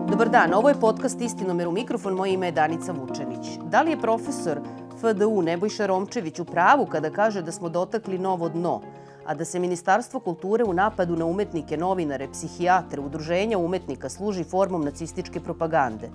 Dobar dan, ovo je podcast Istinomer u mikrofon, moje ime je Danica Vučenić. Da li je profesor FDU Nebojša Romčević u pravu kada kaže da smo dotakli novo dno, a da se Ministarstvo kulture u napadu na umetnike, novinare, psihijatre, udruženja umetnika služi formom nacističke propagande?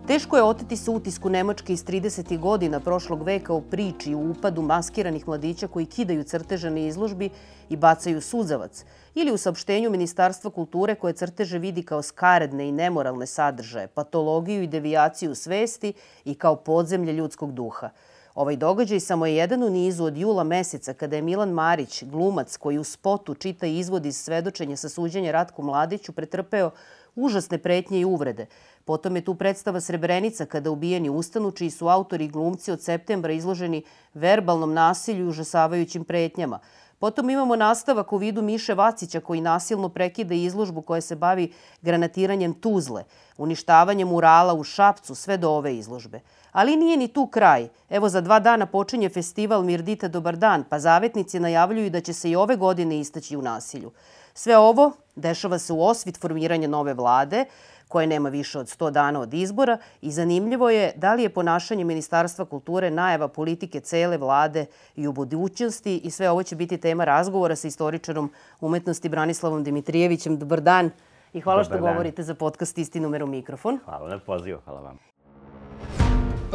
Teško je oteti se utisku Nemačke iz 30. godina prošlog veka o priči i upadu maskiranih mladića koji kidaju crteže na izložbi i bacaju suzavac, ili u saopštenju Ministarstva kulture koje crteže vidi kao skaredne i nemoralne sadržaje, patologiju i devijaciju svesti i kao podzemlje ljudskog duha. Ovaj događaj samo je jedan u nizu od jula meseca kada je Milan Marić, glumac koji u spotu čita izvod iz svedočenja sa suđenja Ratku Mladiću, pretrpeo užasne pretnje i uvrede. Potom je tu predstava Srebrenica kada ubijeni ustanu, čiji su autori i glumci od septembra izloženi verbalnom nasilju i užasavajućim pretnjama. Potom imamo nastavak u vidu Miše Vacića koji nasilno prekida izložbu koja se bavi granatiranjem Tuzle, uništavanjem murala u Šapcu sve do ove izložbe. Ali nije ni tu kraj. Evo, za 2 dana počinje festival Mirdita Dobar dan, pa zavetnici najavljuju da će se i ove godine istaći u nasilju. Sve ovo dešava se u osvit formiranja nove vlade, koje nema više od 100 dana od izbora, i zanimljivo je da li je ponašanje Ministarstva kulture najava politike cele vlade i u budućnosti, i sve ovo će biti tema razgovora sa istoričarom umetnosti Branislavom Dimitrijevićem. Dobar dan i hvala što govorite za podcast Istinomer u mikrofon. Hvala na pozivu, hvala vam.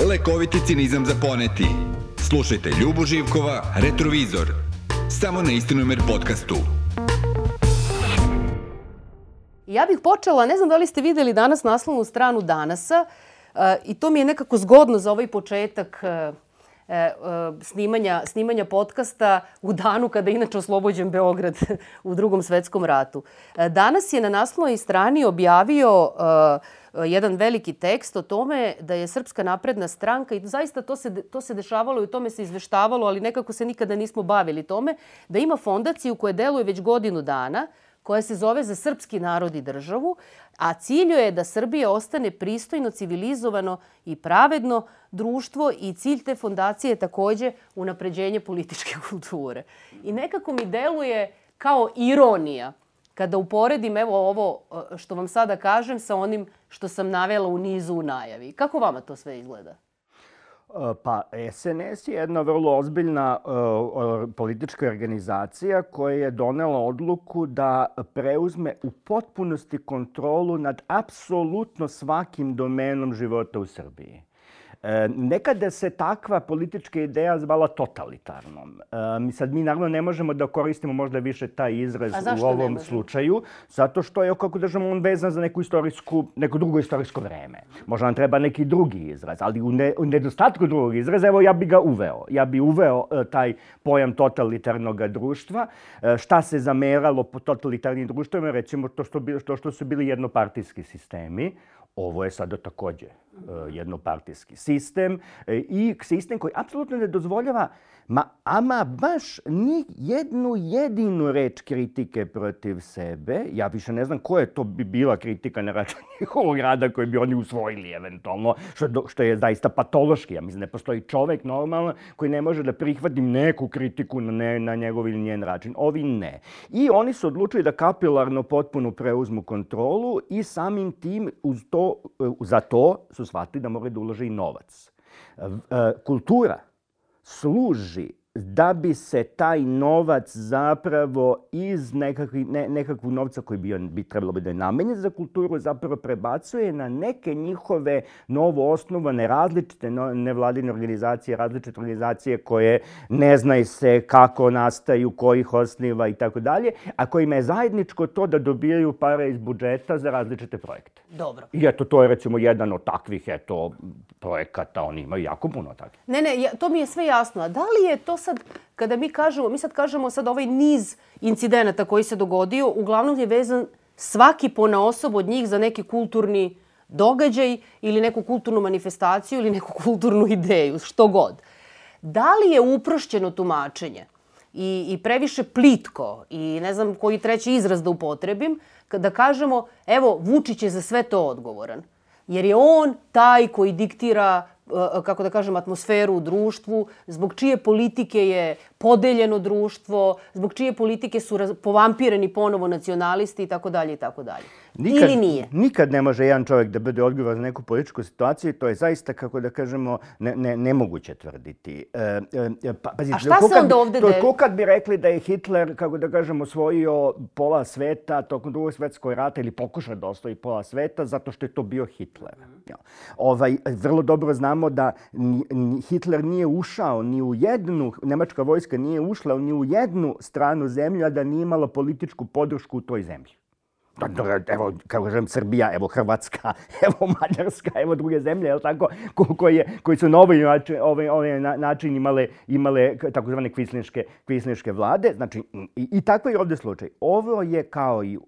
Lekoviti cinizam za poneti. Slušajte Ljubu Živkova, Retrovizor. Samo na Istinomer podcastu. Ja bih počela, ne znam da li ste videli danas naslovnu stranu Danasa, i to mi je nekako zgodno za ovaj početak snimanja podcasta u danu kada je inače oslobođen Beograd u Drugom svetskom ratu. Danas je na naslovnoj strani objavio jedan veliki tekst o tome da je Srpska napredna stranka, i zaista to se dešavalo i o tome se izveštavalo, ali nekako se nikada nismo bavili tome, da ima fondaciju koja deluje već godinu dana, koja se zove Za srpski narod i državu, a cilj je da Srbija ostane pristojno, civilizovano i pravedno društvo, i cilj te fondacije je takođe unapređenje političke kulture. I nekako mi deluje kao ironija kada uporedim evo ovo što vam sada kažem sa onim što sam navela u nizu u najavi. Kako vama to sve izgleda? Pa SNS je jedna vrlo ozbiljna politička organizacija koja je donela odluku da preuzme u potpunosti kontrolu nad apsolutno svakim domenom života u Srbiji. Nekada se takva politička ideja zvala totalitarnom. Mi naravno ne možemo da koristimo možda više taj izraz u ovom slučaju, zato što je, kako držamo, on vezan za neko drugo istorijsko vreme. Možda nam treba neki drugi izraz, ali u nedostatku drugog izraza, evo, ja bi ga uveo. Ja bi uveo taj pojam totalitarnog društva. Šta se zameralo po totalitarnim društvima? Recimo to što su bili jednopartijski sistemi. Ovo je sada takođe jednopartijski sistem, i sistem koji apsolutno ne dozvoljava ama baš ni jednu jedinu reč kritike protiv sebe. Ja više ne znam koja to bi bila kritika na račun njihovog rada koji bi oni usvojili eventualno, što je zaista patološki. Ja mislim, ne postoji čovek normalan koji ne može da prihvati neku kritiku na njegov ili njen način. Ovi ne. I oni su odlučili da kapilarno potpuno preuzmu kontrolu i samim tim za to su shvatili da moraju da ulože i novac. Kultura služi da bi se taj novac zapravo iz nekakvog novca koji bi trebalo da je namenjen za kulturu zapravo prebacuje na neke njihove novo osnovane različite nevladine organizacije, različite organizacije koje ne znaju se kako nastaju, ko ih osniva i tako dalje, a kojima je zajedničko to da dobijaju pare iz budžeta za različite projekte. Dobro. I eto, to je recimo jedan od takvih projekata, oni imaju jako puno takvih. Ne, to mi je sve jasno. A da li je to sad, kada mi kažemo ovaj niz incidenata koji se dogodio, uglavnom je vezan svaki ponaosob od njih za neki kulturni događaj ili neku kulturnu manifestaciju ili neku kulturnu ideju, što god. Da li je uprošćeno tumačenje i previše plitko i ne znam koji treći izraz da upotrebim, da kažemo, evo, Vučić je za sve to odgovoran. Jer je on taj koji diktira kako da kažem, atmosferu u društvu, zbog čije politike je podeljeno društvo, zbog čije politike su povampirani ponovo nacionalisti i tako dalje i tako dalje. Ili nije? Nikad ne može jedan čovjek da bude odgovoran za neku političku situaciju. To je zaista, kako da kažemo, nemoguće tvrditi. A šta se onda ovde dešava? To kad bi rekli da je Hitler, kako da kažemo, osvojio pola sveta tokom Drugog svjetskog rata ili pokušao da osvoji pola sveta zato što je to bio Hitler. Vrlo dobro znamo da Hitler nije ušao ni u jednu, nemačka vojska nije ušla ni u jednu stranu zemlju, a da nije imala političku podršku u toj zemlji. Evo, kako kažem, Srbija, evo Hrvatska, evo Mađarska, evo druge zemlje, je li tako, koji su na ovaj način imale takozvane kvislinške vlade. Znači, i tako je ovdje slučaj. Ovo je kao i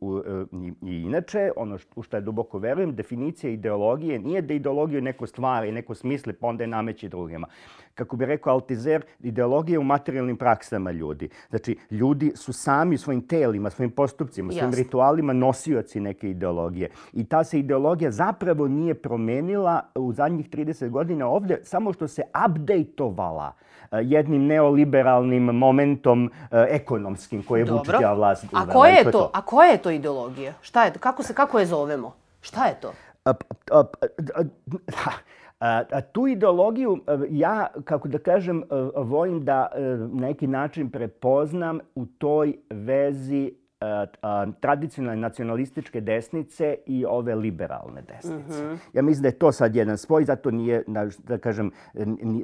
inače, ono u što ja duboko verujem, definicija ideologije nije da ideologiju neko stvari, neko smisli, pa onda je nameći drugima. Kako bi rekao Altizer, ideologija je u materijalnim praksama ljudi. Znači, ljudi su sami svojim telima, svojim postupcima, svojim ritualima nosioci neke ideologije. I ta se ideologija zapravo nije promenila u zadnjih 30 godina ovdje, samo što se update-ovala jednim neoliberalnim momentom ekonomskim koje je Vučićeva vlast uvela. A koja je to ideologija? Šta je to? Kako je zovemo? Šta je to? Tu ideologiju ja, kako da kažem, volim da na neki način prepoznam u toj vezi tradicionalne nacionalističke desnice i ove liberalne desnice. Ja mislim da je to sad jedan spoj, zato nije, da kažem,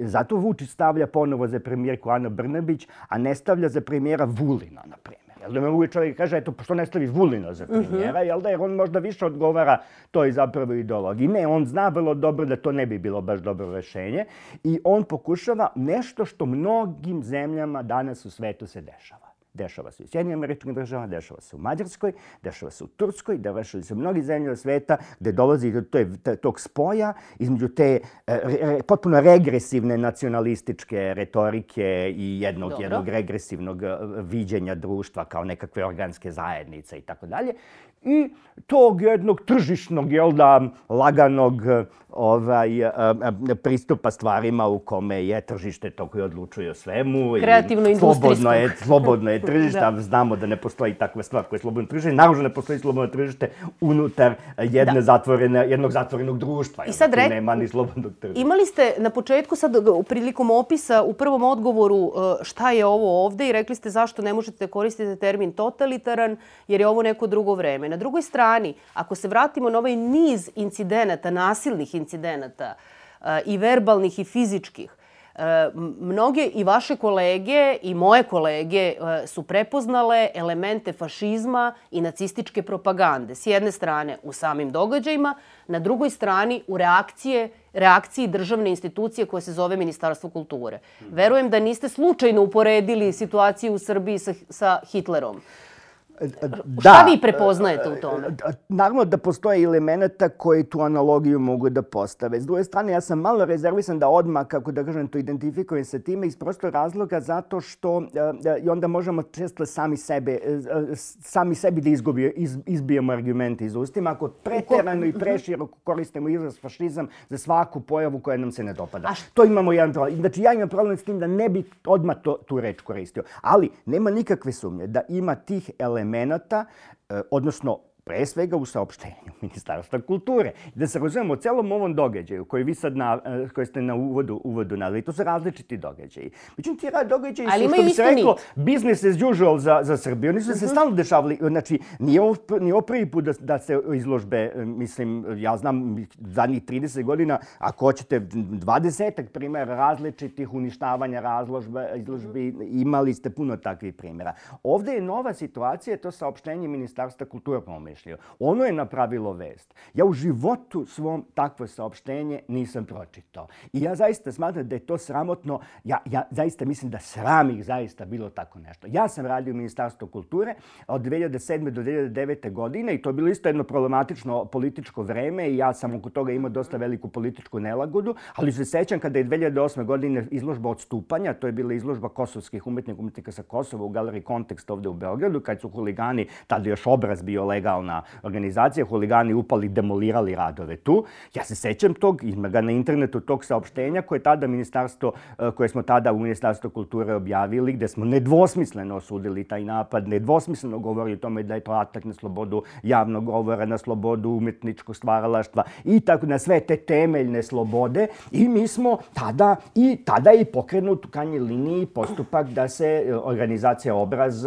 zato Vučić stavlja ponovo za premijerku Anu Brnabić, a ne stavlja za premijera Vulina, na primjer. Jel da me mogu čovjek kaže, eto, što ne stavi Vulina za premijera, jel da, jer on možda više odgovara toj zapravo ideologiji. Ne, on zna vrlo dobro da to ne bi bilo baš dobro rješenje i on pokušava nešto što mnogim zemljama danas u svetu se dešava. Dešava se u Sjedinjenim Američkim Državama, dešava se u Mađarskoj, dešava se u Turskoj, dešava se u mnogih zemlja sveta gdje dolazi do tog spoja između te potpuno regresivne nacionalističke retorike i jednog regresivnog viđenja društva kao nekakve organske zajednice i tako dalje. I tog jednog tržišnog, jel da, laganog pristupa stvarima u kome je tržište to koje odlučuje o svemu. Kreativno-industrijskog. Slobodno je tržište, a znamo da ne postoji takva stvar koja je slobodno tržište. Naravno ne postoji slobodno tržište unutar jednog zatvorenog društva. I sad nema ni slobodnog tržišta. Imali ste na početku, sad prilikom opisa, u prvom odgovoru šta je ovo ovde i rekli ste zašto ne možete koristiti termin totalitaran, jer je ovo neko drugo vreme. Na drugoj strani, ako se vratimo na ovaj niz incidenata, nasilnih incidenata i verbalnih i fizičkih, mnoge i vaše kolege i moje kolege su prepoznale elemente fašizma i nacističke propagande. S jedne strane u samim događajima, na drugoj strani u reakciji državne institucije koja se zove Ministarstvo kulture. Verujem da niste slučajno uporedili situaciju u Srbiji sa Hitlerom. Šta vi prepoznajete u tome? Naravno da postoje elementa koji tu analogiju mogu da postave. S druge strane, ja sam malo rezervisan da odmah, kako da kažem, to identifikujem sa time iz prostog razloga zato što i onda možemo često sami sebi da izbijemo argumente iz ustima ako preterano i preširoko koristimo izraz fašizam za svaku pojavu koja nam se ne dopada. To imamo jedan problem. Znači, ja imam problem s tim da ne bi odmah tu reč koristio. Ali nema nikakve sumnje da ima tih elemenata, odnosno pre svega u saopštenju Ministarstva kulture. Da se razumemo o celom ovom događaju koji ste na uvodu naveli, to su različiti događaji. Međutim, ti događaji su, što bi se reklo, business as usual za Srbiju. Oni su se stalno dešavali. Znači, nije ovo prvi put da se izložbe, mislim, ja znam, zadnjih 30 godina, ako hoćete 20 primjera različitih uništavanja izložbi, imali ste puno takvih primjera. Ovdje je nova situacija, to saopštenje Ministarstva kulture pomišljeno. Ono je napravilo vest. Ja u životu svom takvo saopštenje nisam pročitao. I ja zaista smatram da je to sramotno. Ja zaista mislim da sram ih zaista bilo tako nešto. Ja sam radio u Ministarstvu kulture od 2007. do 2009. godine i to je bilo isto jedno problematično političko vreme i ja sam oko toga imao dosta veliku političku nelagodu, ali se sećam kada je 2008. godine izložba Odstupanja, to je bila izložba kosovskih umetnika sa Kosova u galeriji Kontekst ovdje u Beogradu, kad su huligani, tada još obraz bio legalno kriminalna organizacija, huligani upali, demolirali radove tu. Ja se sećam tog, ima ga na internetu, tog saopštenja koje smo tada u Ministarstvu kulture objavili, gde smo nedvosmisleno osudili taj napad, nedvosmisleno govorili o tome da je to atak na slobodu javnog govora, na slobodu umetničkog stvaralaštva i tako na sve te temeljne slobode. I mi smo tada je pokrenut u krajnjoj liniji postupak da se organizacija Obraz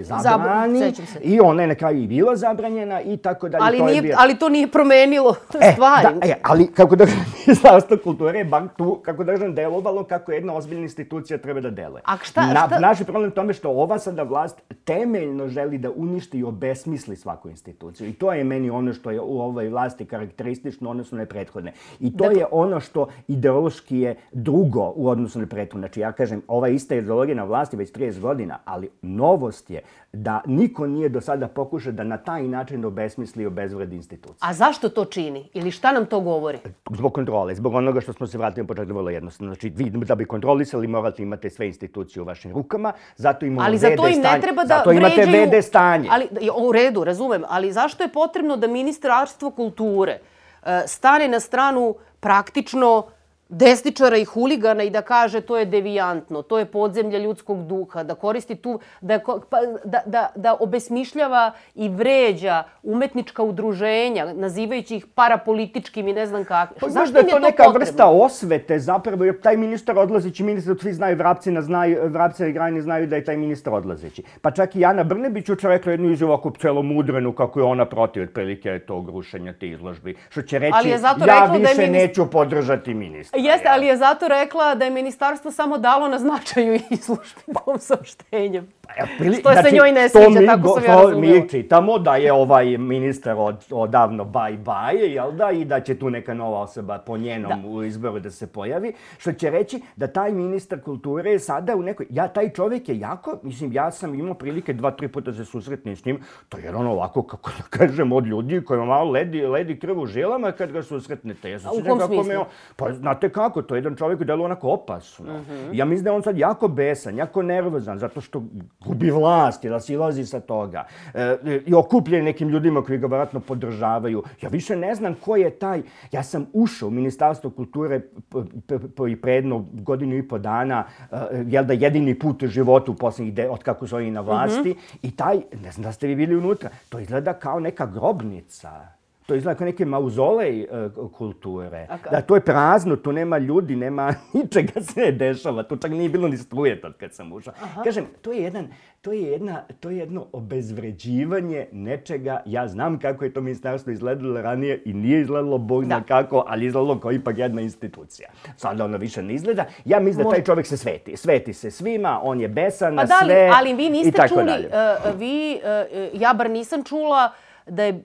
zabrani. I ona je na kraju i bila zabranjena i tako dalje. Ali to nije promenilo stvari. Ali kako da Ministarstvo kulture je bar tu, kako da delovalo kako jedna ozbiljna institucija treba da deluje. Naš je problem u tome što ova sada vlast temeljno želi da uništi i obesmisli svaku instituciju. I to je meni ono što je u ovoj vlasti karakteristično u odnosu na prethodne. I to je ono što ideološki je drugo u odnosu na prethodne. Znači, ja kažem, ova ista ideologija na vlasti već 30 godina, ali novost je da niko nije do sada pokušao da na taj način obesmisli i obezvredi institucije. A zašto to čini? Ili šta nam to govori? Zbog kontrole, zbog onoga što smo se vratili na početku vrlo jednostavno. Znači, vi da bi kontrolisali morate imate sve institucije u vašim rukama, zato imamo VD stanje. Ali za to im ne treba da zato imate VD stanje. U redu, razumem, ali zašto je potrebno da Ministarstvo kulture stane na stranu praktično desničara i huligana i da kaže to je devijantno, to je podzemlje ljudskog duha, da koristi tu, da obesmišljava i vređa umetnička udruženja, nazivajući ih parapolitičkim i ne znam kakve. Zašto je to neka vrsta osvete zapravo, jer taj ministar odlazeći, svi znaju, Vrapci i Grajni znaju da je taj ministar odlazeći. Pa čak i Ana Brnabić juče rekla jednu izjavu ovako celomudrenu kako je ona protiv otprilike tog rušenja te izložbi. Što će reći, ja više neću podržati ministra. Jeste, ali je zato rekla da je ministarstvo samo dalo na značaju izložbi ovom saopštenjem. Što se njoj ne sviđa, tako sam ja razumela. Mi čitamo da je ovaj ministar odavno bye, jel da, i da će tu neka nova osoba po njenom izboru da se pojavi, što će reći da taj ministar kulture je sada u nekoj... Taj čovjek je jako, ja sam imao prilike 2-3 puta se susretnim s njim, to je ono ovako, kako da kažem, od ljudi kojima malo ledi krv u žilama kad ga susretnete. U kom smislu? Pa znate kako, to je jedan čovjek koji deluje onako opasno. Ja mislim da je on sad jako besan, jako nervozan, zato što gubi vlast, da silazi sa toga. I okupljen nekim ljudima koji ga vjerojatno podržavaju. Ja više ne znam ko je taj... Ja sam ušao u Ministarstvo kulture pre jedno godinu i po dana, jel da jedini put u životu od kako su oni na vlasti. I taj, ne znam da ste vi bili unutra, to izgleda kao neka grobnica. To izgleda kao neki mauzolej kulture. Da, to je prazno, tu nema ljudi, nema ničega se ne dešava. Tu čak nije bilo ni struje tad kad sam ušao. Kažem, to je jedno obezvređivanje nečega. Ja znam kako je to ministarstvo izgledalo ranije i nije izgledalo bog zna kako, ali izgledalo kao ipak jedna institucija. Sada ono više ne izgleda. Ja mislim da taj čovjek se sveti. Sveti se svima, on je besan na sve. Ali vi niste čuli, ja bar nisam čula da je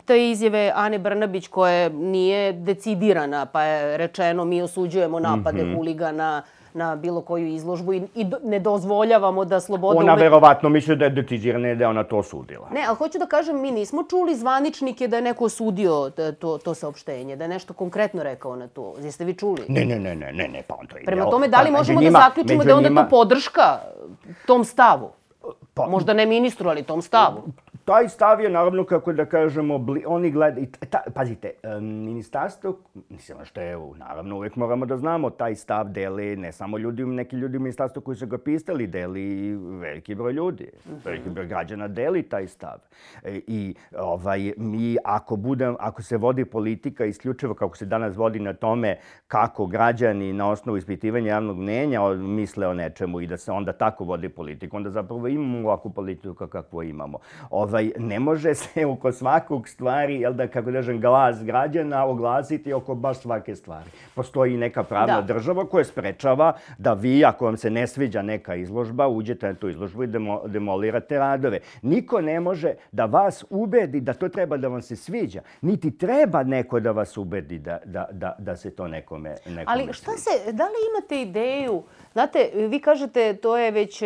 te izjave Ane Brnabić koja nije decidirana, pa je rečeno mi osuđujemo napade huligana na bilo koju izložbu i ne dozvoljavamo da sloboda... Ona verovatno misli da je decidirana i da je ona to osudila. Ne, ali hoću da kažem, mi nismo čuli zvaničnike da je neko osudio to saopštenje, da je nešto konkretno rekao na to. Jeste vi čuli? Ne, pa on to ide. Prema tome, da li možemo da zaključimo da je onda to podrška tom stavu? Možda ne ministru, ali tom stavu. Taj stav je, naravno, kako da kažemo, oni gledaju... Pazite, ministarstvo, mislim što je, naravno, uvijek moramo da znamo, taj stav deli ne samo neki ljudi u ministarstvu koji su ga pisali, deli veliki broj ljudi. Veliki broj građana deli taj stav. I mi, ako se vodi politika isključivo kako se danas vodi na tome kako građani na osnovu ispitivanja javnog mnjenja misle o nečemu i da se onda tako vodi politika, onda zapravo imamo ovakvu politiku kakvu imamo. Ne može se oko svakog stvari, kako kažem, glas građana oglasiti oko baš svake stvari. Postoji neka pravna država koja sprečava da vi, ako vam se ne sviđa neka izložba, uđete na tu izložbu i demolirate radove. Niko ne može da vas ubedi da to treba da vam se sviđa. Niti treba neko da vas ubedi da se to nekome sviđa. Ali da li imate ideju, znate, vi kažete to je već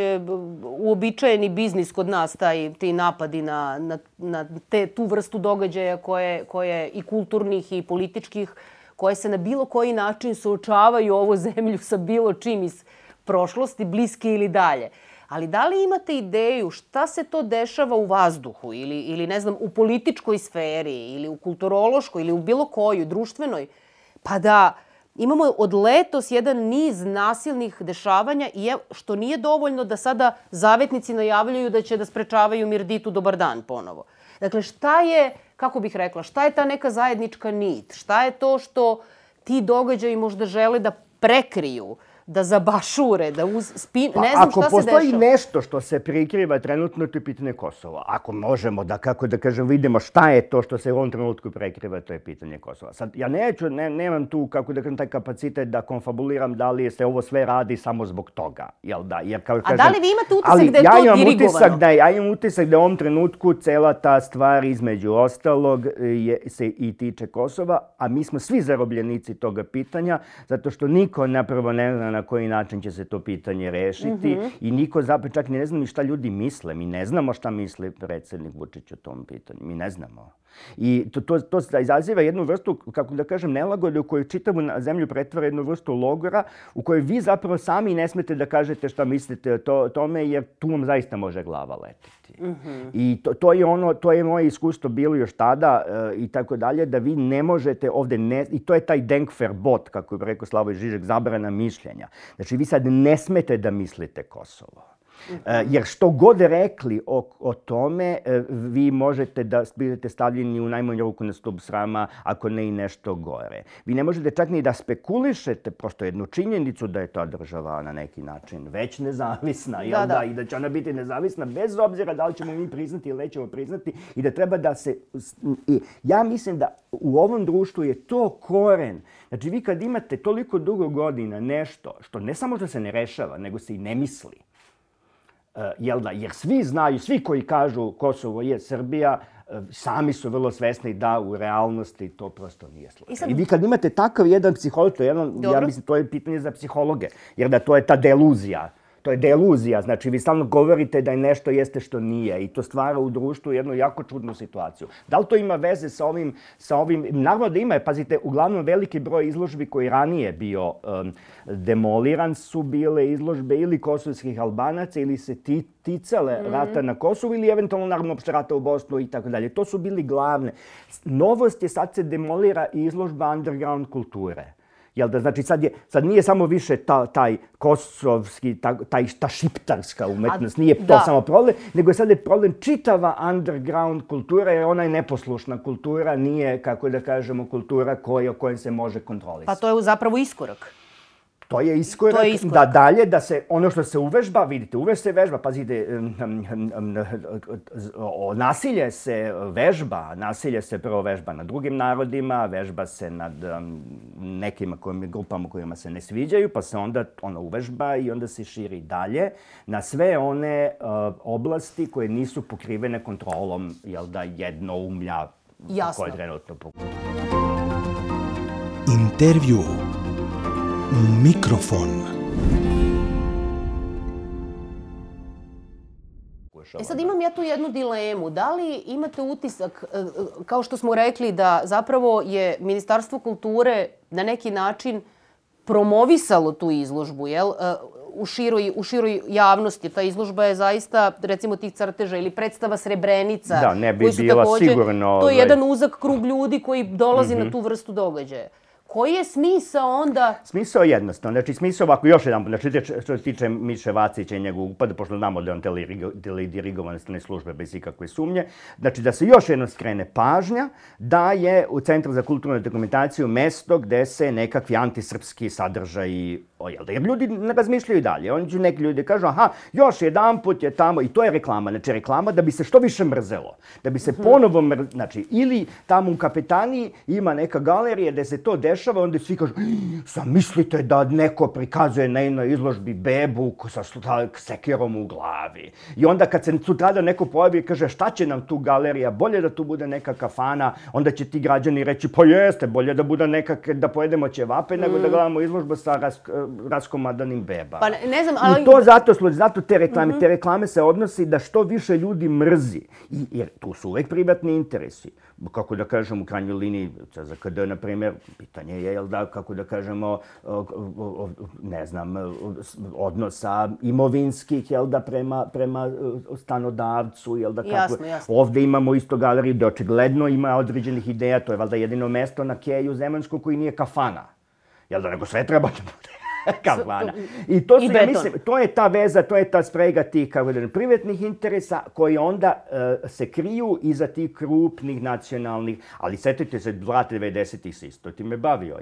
uobičajeni biznis kod nas, ti napadi na tu vrstu događaja koje i kulturnih i političkih, koje se na bilo koji način suočavaju ovu zemlju sa bilo čim iz prošlosti, bliske ili dalje. Ali da li imate ideju šta se to dešava u vazduhu ili ne znam, u političkoj sferi ili u kulturološkoj ili u bilo kojoj, društvenoj, pa da imamo od letos jedan niz nasilnih dešavanja i što nije dovoljno da sada zavetnici najavljuju da će da sprečavaju Mirditu dobar dan ponovo. Dakle, šta je, kako bih rekla, šta je ta neka zajednička nit? Šta je to što ti događaji možda žele da prekriju, da zabašure, da ne znam šta se dešava. Ako postoji nešto što se prikriva trenutno, to je pitanje Kosova. Ako možemo da, kako da kažem, vidimo šta je to što se u ovom trenutku prekriva, to je pitanje Kosova. Sad, ja nemam tu, kako da kažem, taj kapacitet da konfabuliram da li se ovo sve radi samo zbog toga. Jel da? Jer, kao kažem, a da li vi imate utisak da je to dirigovano? Ja imam utisak da u ovom trenutku cela ta stvar između ostalog se i tiče Kosova, a mi smo svi zarobljenici toga pitanja, zato što niko napravo ne zna na koji način će se to pitanje rešiti i niko zapravo čak ne zna ni šta ljudi misle. Mi ne znamo šta misli predsjednik Vučić o tom pitanju. Mi ne znamo. I to izaziva jednu vrstu, kako da kažem, nelagode u kojoj čitavu zemlju pretvara jednu vrstu logora u kojoj vi zapravo sami ne smete da kažete šta mislite o tome, jer tu vam zaista može glava letiti. I to je moje iskustvo bilo još tada i tako dalje, da vi ne možete ovde, i to je taj Denkverbot, kako je rekao Slavoj Žižek, zabrana mišljenja. Znači, vi sad ne smete da mislite Kosovo. Jer što god rekli o tome, vi možete da budete stavljeni u najmanju ruku na stup srama, ako ne i nešto gore. Vi ne možete čak ni da spekulišete prosto jednu činjenicu da je ta država na neki način već nezavisna, jel da? I da će ona biti nezavisna bez obzira da li ćemo mi priznati ili nećemo priznati i da treba da se... Ja mislim da u ovom društvu je to koren. Znači, vi kad imate toliko dugo godina nešto što ne samo što se ne rešava, nego se i ne misli, jel da? Jer svi znaju, svi koji kažu Kosovo je Srbija, sami su vrlo svesni da u realnosti to prosto nije slučaj. I vi kad imate takav jedan psiholog, ja mislim to je pitanje za psihologe, jer da to je ta deluzija. To je deluzija, znači vi stalno govorite da je nešto jeste što nije i to stvara u društvu jednu jako čudnu situaciju. Da li to ima veze sa ovim? Naravno da ima, pazite, uglavnom veliki broj izložbi koji ranije bio demoliran su bile izložbe ili kosovskih Albanaca ili se ticale rata na Kosovu ili eventualno naravno opšte rata u Bosnu i tako dalje. To su bili glavne. Novost je sad se demolira izložba underground kulture. Jel da, znači sad nije samo više taj kosovski, ta šiptarska umetnost, nije to samo problem, nego je sad je problem čitava underground kultura, jer ona je neposlušna kultura, nije, kako da kažemo, kultura o kojoj se može kontrolisati. Pa to je zapravo iskorak. To je iskorak da dalje, da se ono što se uvežba, vidite, uveć se vežba, pazite, nasilje se vežba, nasilje se prvo vežba nad drugim narodima, vežba se nad nekim grupama kojima se ne sviđaju, pa se onda ona uvežba i onda se širi dalje na sve one oblasti koje nisu pokrivene kontrolom, jel da, jednoumlja koje trenutno pokrivene. Intervju. Mikrofon. Sad imam ja tu jednu dilemu. Da li imate utisak, kao što smo rekli, da zapravo je Ministarstvo kulture na neki način promovisalo tu izložbu, jel? U široj javnosti. Ta izložba je zaista, recimo, tih crteža ili predstava Srebrenica. Da, ne bi bila sigurno... To je jedan uzak krug ljudi koji dolazi na tu vrstu događaja. Koji je smisao onda? Smisao je jednostavno. Znači, smisao ovako, još jedan, znači, što se tiče Miše Vacića i njegovog upada, pošto znamo da je on teledirigovan strane službe bez ikakve sumnje, znači da se još jedno skrene pažnja da je u Centru za kulturnu dokumentaciju mesto gde se nekakvi antisrpski sadržaji ojelde. Jer ljudi ne razmišljaju dalje. Oni će neki ljudi kažu, aha, još jedan put je tamo, i to je reklama. Znači, reklama da bi se što više mrzelo. Da bi se ponovo znači, ili tamo u Kapetaniji ima neka galerija gde se to dešava, onda svi kažu, zamislite da neko prikazuje na jednoj izložbi bebu sa sekirom u glavi. I onda kad se sutradan neko pojavi i kaže, šta će nam tu galerija, bolje da tu bude neka kafana, onda će ti građani reći, pa jeste, bolje da bude da pojedemo ćevape nego da gledamo izložbu sa raskomadanim bebama. Pa ne znam, ali... I to zato te reklame. Te reklame se odnosi da što više ljudi mrzi. Jer tu su uvek privatni interesi. Kako da kažem, u krajnjoj liniji, CZKD, na primjer, pitanje je, kako da kažemo, ne znam, odnosa imovinskih, prema stanodavcu, Jasno. Ovde imamo isto galeriju gde očigledno ima određenih ideja, to je valjda jedino mesto na Keju Zemansku koji nije kafana. Nego sve treba da bude kafana. I to ja mislim, to je ta veza, to je ta sprega tih privatnih interesa koji onda se kriju iza tih krupnih nacionalnih, ali setite se, 90-ih se isto time bavio,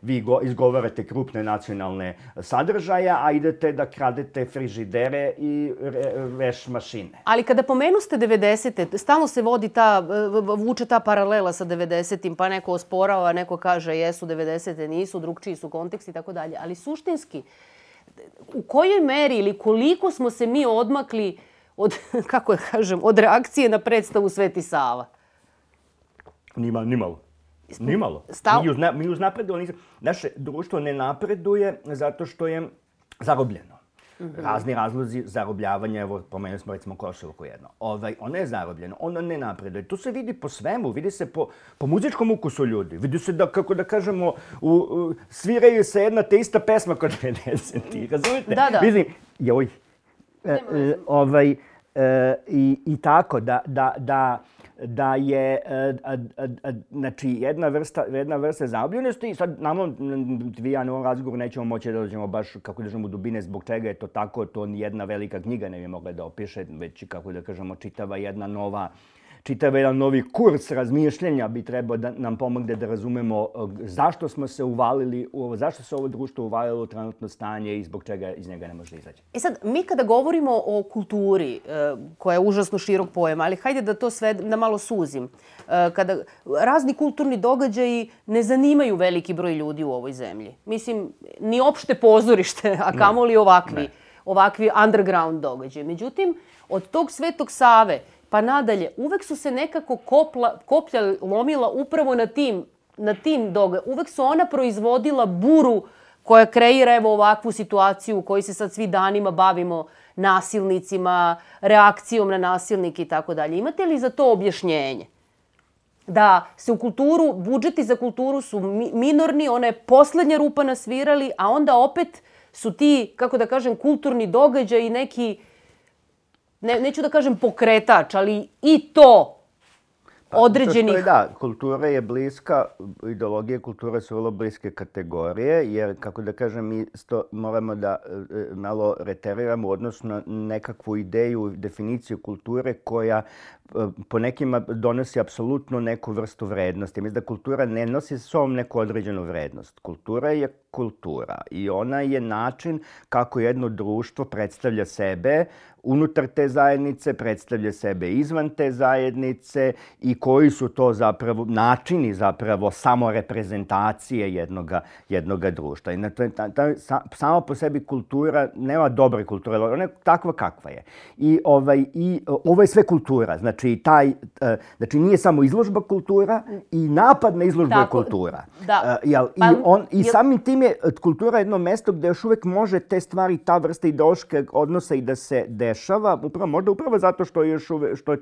vi izgovarate krupne nacionalne sadržaja, a idete da kradete frižidere i veš mašine. Ali kada pomenuste 90-te, stalno se vuče ta paralela sa 90-im, pa neko osporava, neko kaže jesu 90-te, nisu, drugčiji su konteksti i tako dalje. Ali suštinski, u kojoj meri ili koliko smo se mi odmakli od reakcije na predstavu Sveti Sava? Nimalo. Mi uznapredujemo. Naše društvo ne napreduje zato što je zarobljeno. Razni razlozi zarobljavanja, evo, pomenuli smo recimo Košarku jedno. Ono je zarobljeno, ono ne napreduje. To se vidi po svemu, vidi se po muzičkom ukusu ljudi. Vidi se da, kako da kažemo, sviraju se jedna te ista pesma kod 90-ih, razumete? Da. Mislim, i tako, da je znači jedna vrsta zarobljenosti i sad vi ja na ovom razgovoru nećemo moći da dođemo baš kako da kažemo u dubine zbog čega je to tako, to ni jedna velika knjiga ne bi mogla da opiše, već kako da kažemo čitava jedan novi kurs razmišljanja bi trebao da nam pomogne da razumemo zašto smo se uvalili, zašto se ovo društvo uvalilo u trenutno stanje i zbog čega iz njega ne može izaći. Sad, mi kada govorimo o kulturi, koja je užasno širok pojam, ali hajde da to sve da malo suzim. Kada razni kulturni događaji ne zanimaju veliki broj ljudi u ovoj zemlji. Mislim, ni opšte pozorište, a kamoli ovakvi underground događaji. Međutim, od tog Svetog Save pa nadalje, uvek su se nekako koplja lomila upravo na tim događajima. Uvek su ona proizvodila buru koja kreira evo ovakvu situaciju u kojoj se sad svi danima bavimo nasilnicima, reakcijom na nasilnike i tako dalje. Imate li za to objašnjenje? Da se u kulturu, budžeti za kulturu su minorni, ona je poslednja rupa na svirali, a onda opet su ti, kako da kažem, kulturni događaji neki, neću da kažem pokretač, ali i to određenih... Da, kultura je bliska, ideologije kulture su vrlo bliske kategorije, jer, kako da kažem, mi moramo da malo reteriramo odnosno na nekakvu ideju, definiciju kulture koja po nekima donosi apsolutno neku vrstu vrednosti. Mislim da kultura ne nosi sa sobom neku određenu vrednost. Kultura je kultura i ona je način kako jedno društvo predstavlja sebe unutar te zajednice, predstavlja sebe izvan te zajednice i koji su to zapravo načini zapravo samoreprezentacije jednoga društva. I samo po sebi kultura nema dobre kulture, ona je takva kakva je. I ovo je sve kultura. Znači nije samo izložba kultura i napad na izložbu je kultura. I samim tim je kultura jedno mesto gde još uvek može te stvari, ta vrsta ideološkog odnosa i da se dešava, možda upravo zato što je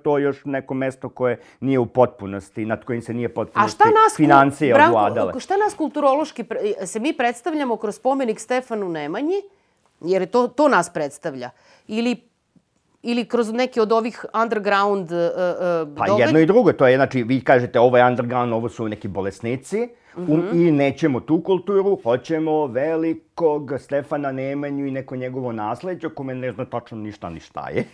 to još neko mesto koje nije u potpunosti, nad kojim se nije potpunosti financije ovladale. Šta nas kulturološki, se mi predstavljamo kroz spomenik Stefanu Nemanji, jer to nas predstavlja, ili kroz neki od ovih underground događaja? Pa jedno i drugo, to je, znači, vi kažete ovo je underground, ovo su neki bolesnici i nećemo tu kulturu, hoćemo velikog Stefana Nemanju i neko njegovo nasleđe, kome ne zna tačno ništa ni šta je.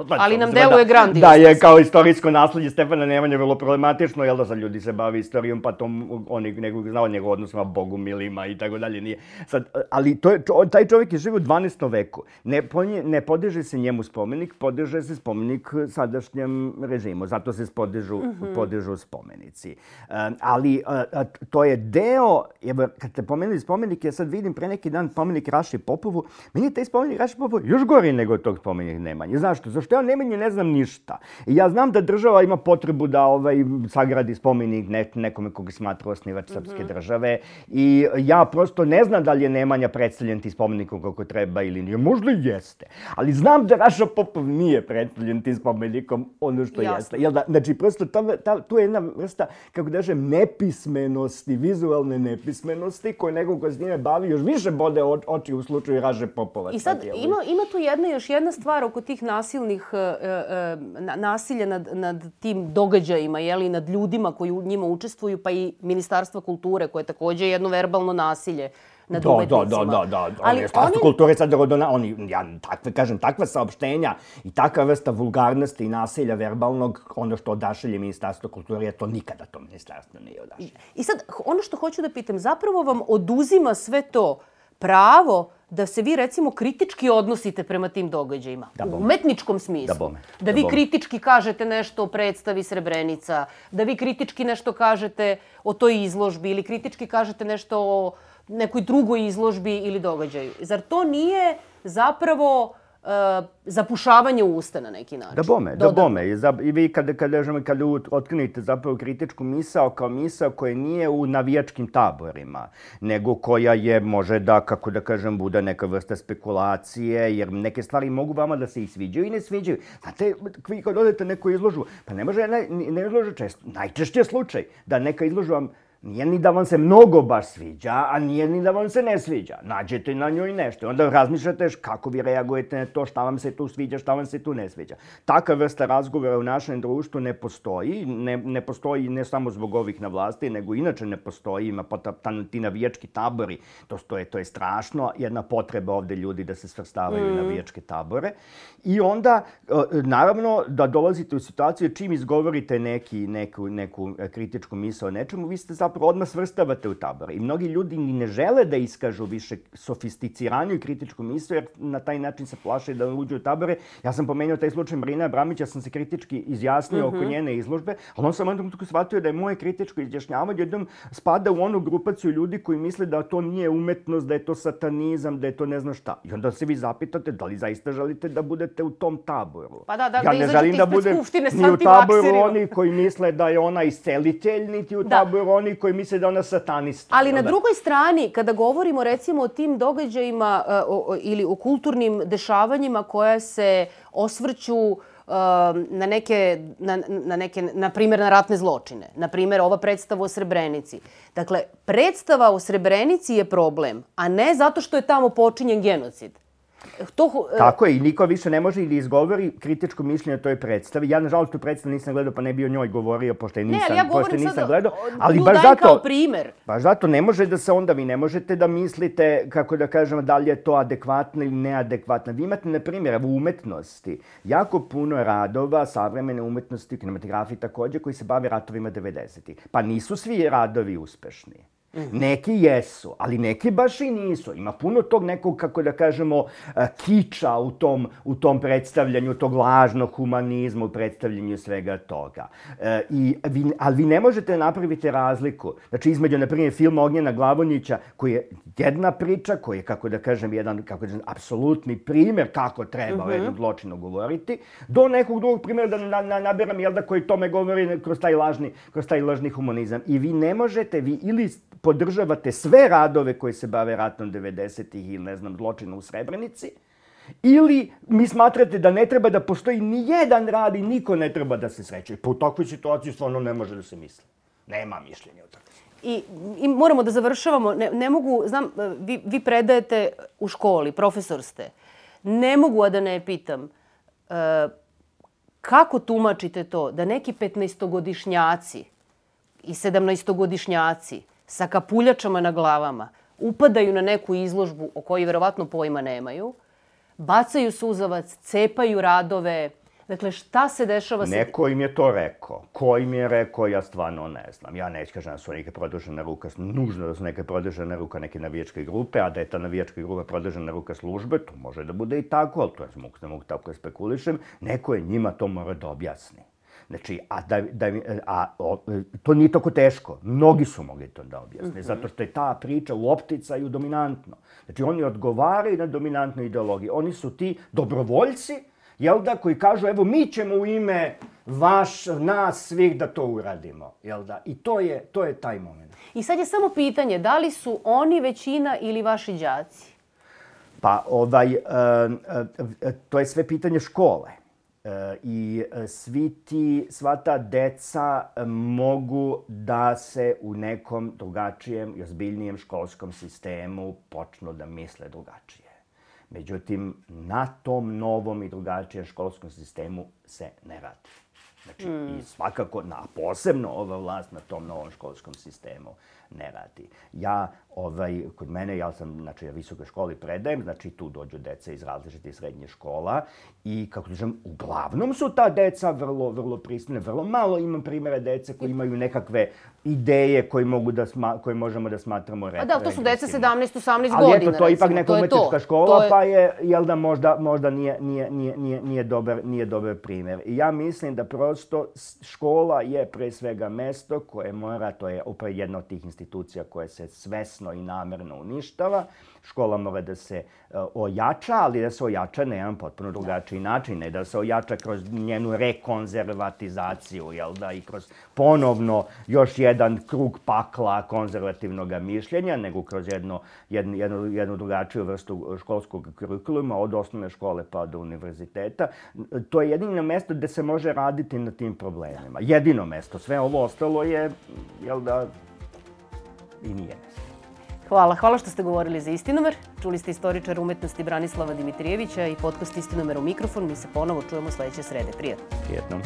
Ali nam deluje grandiozno. Da, je kao istorijsko nasledđe Stefana Nemanje vrlo problematično, jel da sad ljudi se bavi istorijom, pa to oni znao njegov odnosima bogumilima i tako dalje nije. Ali taj čovjek je živio u 12. veku. Ne podiže se njemu spomenik, podiže se spomenik sadašnjem režimu. Zato se podižu spomenici. Ali to je deo, kad ste pomenuli spomenik, ja sad vidim pre neki dan spomenik Raši Popovu, meni je taj spomenik Raši Popovu još gori nego tog spomenik Nemanje. Znaš što? Zato što ja o Nemanji ne znam ništa. I ja znam da država ima potrebu da sagradi spomenik nekome koga smatra osnivač srpske države i ja prosto ne znam da li je Nemanja predstavljen tim spomenikom kako treba ili nije. Možda i jeste. Ali znam da Raša Popov nije predstavljen tim spomenikom ono što jeste. Znači, prosto tu je jedna vrsta, kako da kažem, nepismenosti, vizualne nepismenosti koje nekog ko s njime bavi još više bode oči u slučaju Raže Popova. I sad ima tu još jedna stvar oko tih nasilja nad tim događajima, jeli, nad ljudima koji u njima učestvuju, pa i Ministarstva kulture, koje je takođe jedno verbalno nasilje nad umetnicima. Da. Ministarstvo kulture sad takva saopštenja i takva vrsta vulgarnosti i nasilja verbalnog, ono što odašelje Ministarstvo kulture, to nikada to ministarstvo nije odašelje. I sad, ono što hoću da pitam, zapravo vam oduzima sve to pravo da se vi, recimo, kritički odnosite prema tim događajima. U umetničkom smislu. Da vi kritički kažete nešto o predstavi Srebrenica, da vi kritički nešto kažete o toj izložbi ili kritički kažete nešto o nekoj drugoj izložbi ili događaju. Zar to nije zapravo zapušavanje usta na neki način? Da bome. I vi kada otkrenete zapravo kritičku misao kao misao koja nije u navijačkim taborima, nego koja je, može da, kako da kažem, bude neka vrsta spekulacije, jer neke stvari mogu vama da se i sviđaju i ne sviđaju. Znate, vi kad odete neku izložbu, pa ne može ne izložba često. Najčešće je slučaj da neka izložba nije ni da vam se mnogo baš sviđa, a nije ni da vam se ne sviđa. Nađete na njoj nešto. Onda razmišljate kako vi reagujete na to, šta vam se tu sviđa, šta vam se tu ne sviđa. Taka vrsta razgovora u našem društvu ne postoji. Ne postoji ne samo zbog ovih na vlasti, nego inače ne postoji. Ima ti navijački tabori. To je strašno. Jedna potreba ovde ljudi da se svrstavaju u navijačke tabore. I onda, naravno, da dolazite u situaciju čim izgovorite neku kritičku misao o nečemu, vi ste zapravo odmah svrstavate u tabor. I mnogi ljudi ni ne žele da iskažu više sofisticiraniju i kritičku misao, jer na taj način se plaše da uđu u tabore. Ja sam pomenuo taj slučaj Marina Abramića, sam se kritički izjasnio oko njene izložbe, ali on sam onda shvatio da je moje kritičko izjašnjavanje jednom spada u onu grupaciju ljudi koji misle da to nije umetnost, da je to satanizam, da je to ne znam šta. I onda se vi zapitate da li zaista želite da budete u tom taboru. Pa da ja ne želim da budem ni u taboru oni koji misle da je ona iscelitelj, niti u taboru oni koji misle da je ona satanista. Ali na drugoj strani, kada govorimo recimo o tim događajima ili o kulturnim dešavanjima koja se osvrću na primjer, na ratne zločine. Na primjer, ova predstava o Srebrenici. Dakle, predstava o Srebrenici je problem, a ne zato što je tamo počinjen genocid. Tako je, i niko više ne može ili izgovori kritičko mišljenje o toj predstavi. Ja, nažalost, tu predstavu nisam gledao, pa ne bi o njoj govorio, pošto je nisam gledao. Ali baš zato, kao primjer. Baš zato ne može da se onda, vi ne možete da mislite, kako da kažem, da li je to adekvatno ili neadekvatno. Vi imate, na primjer, u umetnosti jako puno radova, savremene umetnosti, kinematografiji također, koji se bave ratovima 90-ih. Pa nisu svi radovi uspešni. Neki jesu, ali neki baš i nisu. Ima puno tog nekog, kako da kažemo, kiča u tom predstavljanju, tog lažnog humanizma u predstavljanju svega toga. Ali vi ne možete napraviti razliku. Znači, između, na primjer, filma Ognjena Glavonjića, koji je jedna priča, koji je, kako da kažem, jedan apsolutni primjer kako treba o jednom zločinu govoriti, do nekog drugog primjera da naberam, jel da, koji tome govori kroz taj lažni humanizam. I vi ne možete, vi ili podržavate sve radove koji se bave ratom 90-ih ili, ne znam, zločina u Srebrenici, ili mi smatrate da ne treba da postoji ni jedan rad i niko ne treba da se sreće. Pa u takvoj situaciji stvarno ne može da se misli. Nema mišljenja o takvoj. I moramo da završavamo. Ne mogu, znam, vi predajete u školi, profesor ste. Ne mogu, a da ne pitam, kako tumačite to da neki 15-godišnjaci i 17-godišnjaci sa kapuljačama na glavama upadaju na neku izložbu o kojoj verovatno pojma nemaju, bacaju suzavac, cepaju radove. Dakle, šta se dešava? Neko im je to rekao. Ko im je rekao, ja stvarno ne znam. Ja ne kažem da su neke produžena ruka, nužno da su neke produžena ruka neke navijačke grupe, a da je ta navijačka grupa produžena ruka službe, to može da bude i tako, ali to ne mogu tako da spekulišem. Neko je njima to mora da objasni. Znači, to nije tako teško. Mnogi su mogli to da objasne, zato što je ta priča u opticaju dominantno. Znači, oni odgovaraju na dominantnu ideologiju. Oni su ti dobrovoljci, jel da, koji kažu evo mi ćemo u ime nas svih da to uradimo, jel da? I to je taj moment. I sad je samo pitanje, da li su oni većina ili vaši đaci? Pa to je sve pitanje škole. I sva ta deca mogu da se u nekom drugačijem i ozbiljnijem školskom sistemu počnu da misle drugačije. Međutim, na tom novom i drugačijem školskom sistemu se ne radi. Znači, i svakako, posebno ova vlast na tom novom školskom sistemu ne radi. Kod mene, ja visokoj školi predajem, znači tu dođu deca iz različitih srednjih škola i, kako kažem, uglavnom su ta deca vrlo pristojne. Vrlo malo imam primjera dece koji imaju nekakve ideje koje možemo da smatramo regresivnim. A da, to su deca 17-18 godina. Ali eto, to je ipak neka umetnička škola, pa je, jel da, možda nije dobar primjer. I ja mislim da prosto škola je pre svega mesto koje mora, to je upravo jedna od tih institucija koja se svesno i namerno uništava. Škola mora da se ojača, ali da se ojača na jedan potpuno drugačiji način. Ne da se ojača kroz njenu rekonzervatizaciju, jel da, i kroz ponovno još jedan krug pakla konzervativnog mišljenja, nego kroz jednu drugačiju vrstu školskog kurikuluma, od osnovne škole pa do univerziteta. To je jedino mesto gde se može raditi na tim problemima. Jedino mesto. Sve ovo ostalo je, jel da, i nije mesto. Hvala što ste govorili za Istinomer. Čuli ste istoričara umetnosti Branislava Dimitrijevića i podcast Istinomer u mikrofon. Mi se ponovo čujemo sledeće srede. Prijatno. Prijetno.